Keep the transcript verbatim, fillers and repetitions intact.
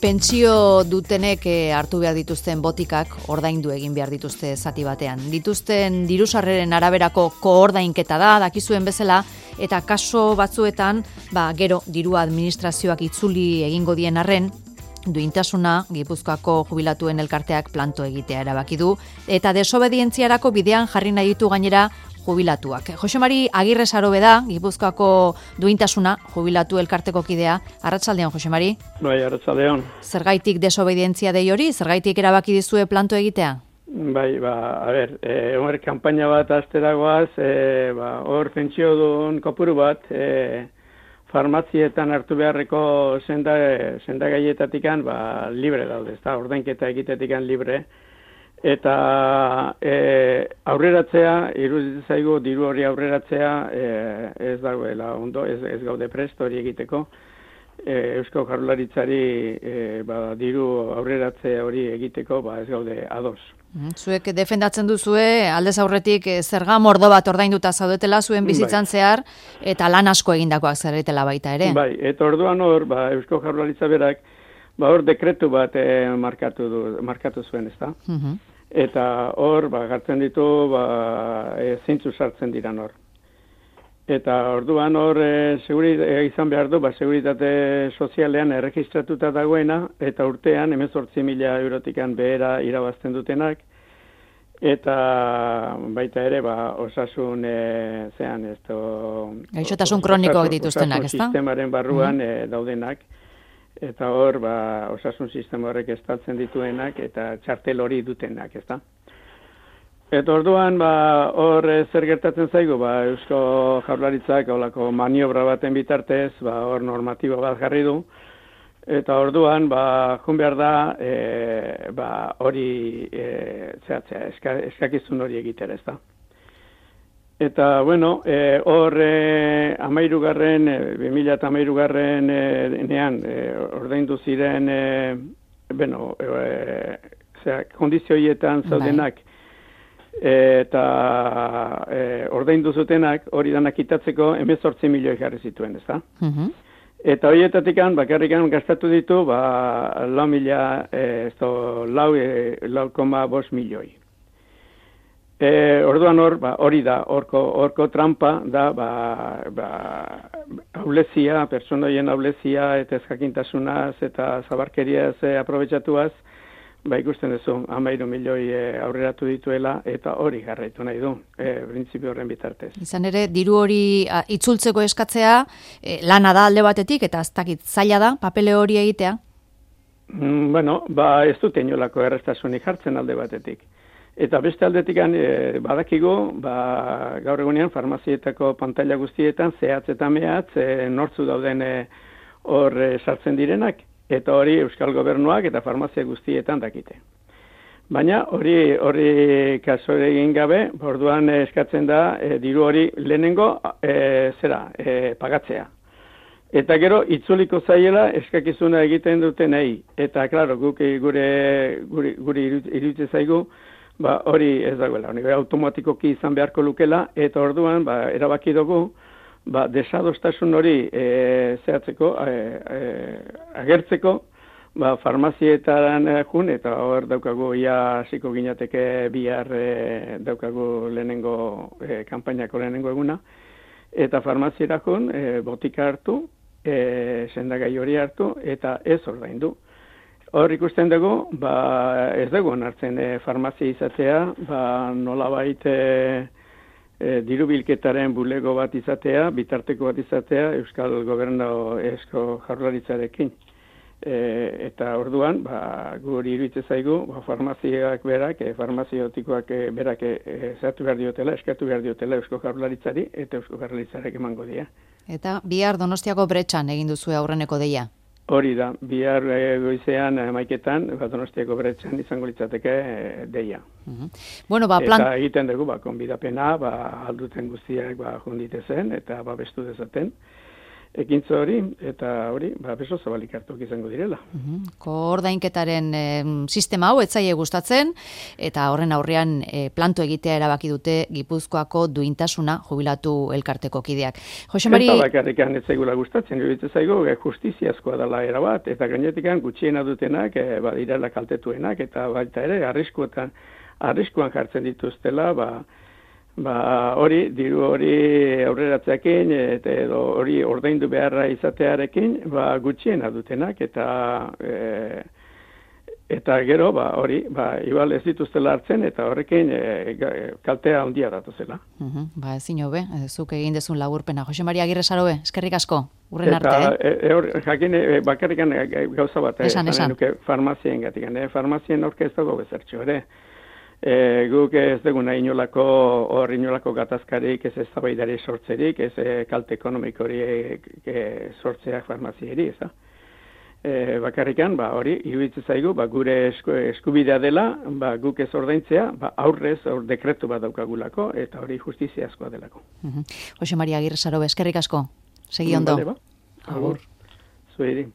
Pentsio dutenek hartu behar dituzten botikak ordaindu egin behar dituzte zati batean. Dituzten dirusarreren araberako koordainketa da, dakizuen bezala, eta kaso batzuetan, ba, gero dirua administrazioak itzuli egingo dien arren, duintasuna Gipuzkoako jubilatuen elkarteak planto egitea erabaki du, eta desobedientziarako bidean jarri nahi ditu gainera jubilatuak. Jose Mari Agirre Sarobe da, Gipuzkoako duintasuna jubilatu elkarteko kidea. Arratsaldeon, Jose Mari. Bai, arratsaldeon. Zergaitik desobedientzia dei hori? Zergaitik erabaki dizue planto egitea? Bai, ba, a ber, eh, hor kanpaina bat asteragoaz, eh, ba, hor pentsio duen kopuru bat, eh, farmazietan hartu beharreko senda, senda gaietatikan, ba, libre daude, ezta, ordainketa egitetikan libre. Eta e, aurreratzea, iruditzen zaigu diru hori aurreratzea e, ez dagoela ondo, ez, ez gaude prest hori egiteko. E, Eusko Jaurlaritzari e, ba, diru aurreratzea hori egiteko ba, ez gaude ados. Zuek defendatzen duzue, aldez aurretik zerga mordo bat ordainduta zaudetela zuen bizitzan bai. Zehar, eta lan asko egindakoak zaretela baita ere. Bai, eta orduan hor, ba, Eusko Jaurlaritza berak, ba, hor dekretu bat e, markatu, du, markatu zuen, ezta? Uh-huh. Eta hor, ba, gartzen ditu, ba, e, zeintzu sartzen diran hor. Eta orduan hor, e, seguri, e, izan behar du, ba, seguritate sozialean erregistratuta dagoena, eta urtean, hemezortzi mila eurotikan behera irabazten dutenak, eta baita ere, ba, osasun, e, zean, ez to... Gaixotasun kronikoak dituztenak, ez da? Osasun sistemaren barruan mm-hmm. e, daudenak. Eta hor, ba, osasun sistema horrek estaltzen dituenak eta txartel hori dutenak, ezta? Eta orduan, ba, hor zer gertatzen zaigu, ba, Eusko Jaurlaritzak holako maniobra baten bitartez, ba, hor normatiba bat jarri du, eta orduan, ba, jun behar da, e, ba, hori, e, zehatzea, eska, eskakizun hori egitera, ezta? Eta, bueno, hor e, amairugarren, e, bi mila eta amairugarren e, nean, e, ordaindu ziren, e, bueno, e, zera, kondizioietan zaudenak, e, eta e, ordaindu zutenak, hori danak itatzeko, hemezortzi milioi jarri zituen, ez da? Uh-huh. Eta horietatikan, bakarrikan gastatu ditu, ba, lau mila, e, esto, lau, e, lau koma bost milioi. E, orduan hor, ba, hori da, horko, horko trampa da, ba, ba, aulezia, personoien aulezia eta ezjakintasunaz eta zabarkeriaz e, aprobetxatuaz, ba, ikusten duzu, hamairu milioi e, aurreratu dituela eta hori jarraitu nahi du, e, printzipio horren bitartez. Izan ere, diru hori a, itzultzeko eskatzea, e, lana da alde batetik eta ez dakit zaila da, papele hori egitea? Mm, bueno, ba, ez dut inolako errestasunik jartzen alde batetik. Eta beste aldetik e, badakigu, ba, gaur egunean farmazietako pantaila guztietan zehatz eta mehatz e, nortzu dauden hor e, sartzen direnak, eta hori Euskal Gobernuak eta farmazia guztietan dakite. Baina hori hori kaso egin gabe, orduan eskatzen da e, diru hori lehenengo e, zera, e, pagatzea. Eta gero, itzuliko zaiela eskakizuna egiten dutenei. Eta, klaro, guk gure, gure, gure iruditzen zaigu, ba, hori ez dagoela, hori automatikoki izan beharko lukela, eta orduan, ba, erabaki dugu, ba, desadostasun hori e, zehatzeko, e, e, agertzeko, ba, farmazietan jun, eta hor daukagu, ia hasiko ginateke bihar e, daukagu lehenengo, e, kanpainako lehenengo eguna, eta farmaziera jun, e, botika hartu, e, sendagai hori hartu, eta ez ordaindu. Hor ikusten dugu, ba, ez dugu onartzen e, farmazia izatea, ba, nolabait e, e, diru bilketaren bulego bat izatea, bitarteko bat izatea, Euskal Gobernu Eusko Jaurlaritzarekin. E, eta orduan, ba, guri iruditzen zaigu, ba, farmaziak berak, e, farmaziotikoak e, berak e, zehatu behar diotela, eskatu behar diotela Eusko Jaurlaritzari, eta Eusko Jaurlaritzarek emango dira. Eta bihar Donostiako Bretxan egin duzue aurreneko deia? Hori da, bihar e, goizean maiketan, Donostiako Bretxan izango litzateke e, deia. Uh-huh. Bueno, ba, plan... Eta egiten dugu, ba, konbidapena, ba, alduten guztiak ba, jundite zen, eta babestu dezaten. ekintza hori, eta hori, ba, beso zabalik hartuak izango direla. Uhum. Koordainketaren e, sistema hau etzaie gustatzen, eta horren aurrean e, planto egitea erabaki dute Gipuzkoako duintasuna jubilatu elkarteko kideak. Jose Mari... Eta bakarrikan ez zaigula gustatzen, iruditzen zaigu, e, justiziazkoa dela erabat, eta gainetikan gutxiena dutenak, e, badirela kaltetuenak, eta baita ere, arriskuetan, arriskuan jartzen dituztela, ba, Ba, hori, diru hori aurreratzeakin, eta edo hori ordaindu beharra izatearekin, ba, gutxiena dutenak, eta e, eta gero, ba, hori, ba, igual ez dituztela hartzen, eta horrekin e, kaltea handia datuzela. Uhum, ba, ezin hobe, zuk egin dezun laburpena. Jose Mari Agirre Sarobe, eskerrik asko, urren eta, arte, eh? E, e, jakin, e, bakarrikan e, gauza bat, esan, e, esan. Nuke, farmazien gatikan, e, farmazien aurke ez dago bezertxo, ere. E, guk ez duguna inolako, hor inolako gatazkarik, ez eztabaidari sortzerik, ez e, kalte ekonomikori e, e, sortzeak farmazieri, ez da. E, bakarrikan, ba, hori, iruditzen zaigu, ba, gure esku, eskubidea dela, ba, guk ez ordaintzea, ba, aurrez, aur dekretu bat daukagulako, eta hori justiziazkoa delako. Uhum. Jose Mari Agirre Sarobe, eskerrik asko, segi ondo. Vale, ba. Agur. Zuedi.